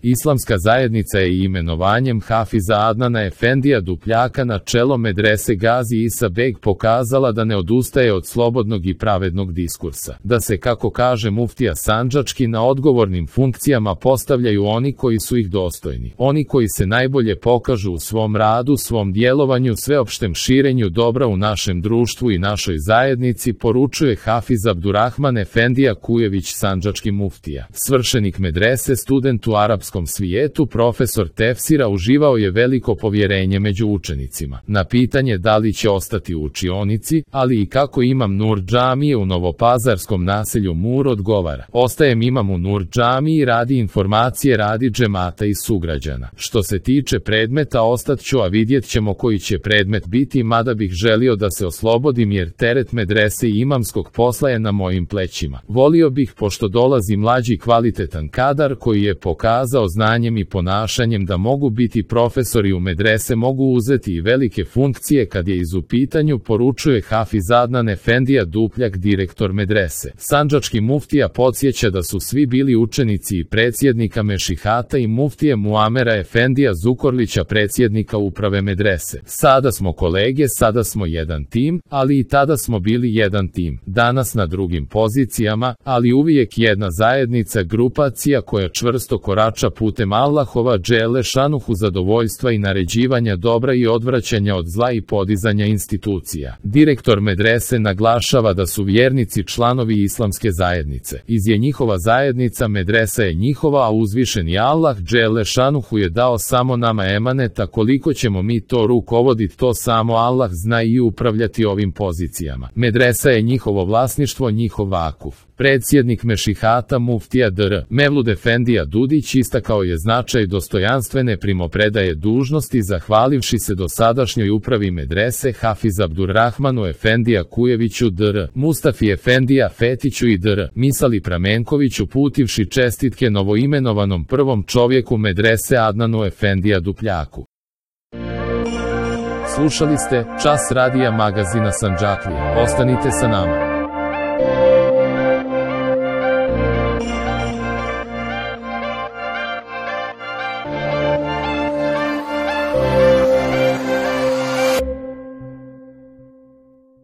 Islamska zajednica je imenovanjem Hafiza Adnana Efendija Dupljaka na čelo medrese Gazi Isa Beg pokazala da ne odustaje od slobodnog i pravednog diskursa. Da se, kako kaže muftija sandžački, na odgovornim funkcijama postavljaju oni koji su ih dostojni. Oni koji se najbolje pokažu u svom radu, svom djelovanju, sveopštem širenju dobra u našem društvu i našoj zajednici, poručuje Hafiz Abdurrahman Efendija Kujević, sandžački muftija. Svršenik medrese, student u arapskom svijetu, profesor tefsira, uživao je veliko povjerenje među učenicima. Na pitanje da li će ostati u učionici, ali i kako imam Nur džamije u novopazarskom naselju Mur, odgovara: ostajem imam u Nur džamiji radi informacije, radi džemata i sugrađana. Što se tiče predmeta, ostat ću, a vidjet ćemo koji će predmet biti, mada bih želio da se oslobodim jer teret medrese i imamskog posla je na mojim plećima. Volio bih, pošto dolazi mlađi kvalitetan kadar koji je pokazao znanjem i ponašanjem da mogu biti profesori u medrese, mogu uzeti i velike funkcije kad je u pitanju, poručuje Hafiz Adnan Efendija Dupljak, direktor medrese. Sandžački muftija podsjeća da su svi bili učenici i predsjednika mešihata i muftije Muamera Efendija Zukorlića, predsjednika uprave medrese. Sada smo kolege, sada smo jedan tim, ali i tada smo bili jedan tim. Danas na drugim pozicijama, ali uvijek jedna zajednica, grupacija koja čvrsto korača putem Allahova dželle šanuhu zadovoljstva i naređivanja dobra i odvraćanja od zla i podizanja institucija. Direktor medrese naglašava da su vjernici članovi islamske zajednice. Iz je njihova zajednica, medresa je njihova, a uzvišeni Allah dželle šanuhu je dao samo nama emaneta. Koliko ćemo mi to rukovoditi, to samo Allah zna, i upravljati ovim pozicijama. Medresa je njihovo vlasništvo, njihov vakuf. Predsjednik mešihata muftija dr. Mevlud Efendija Dudić istakao je značaj dostojanstvene primopredaje dužnosti, zahvalivši se dosadašnjoj upravi medrese Hafiz Abdurrahmanu Efendija Kujeviću, dr. Mustafi Efendija Fetiću i dr. Misali Pramenkoviću, putivši čestitke novoimenovanom prvom čovjeku medrese Adnanu Efendija Dupljaku. Slušali ste Čas radija magazina Sandžaklija. Ostanite sa nama.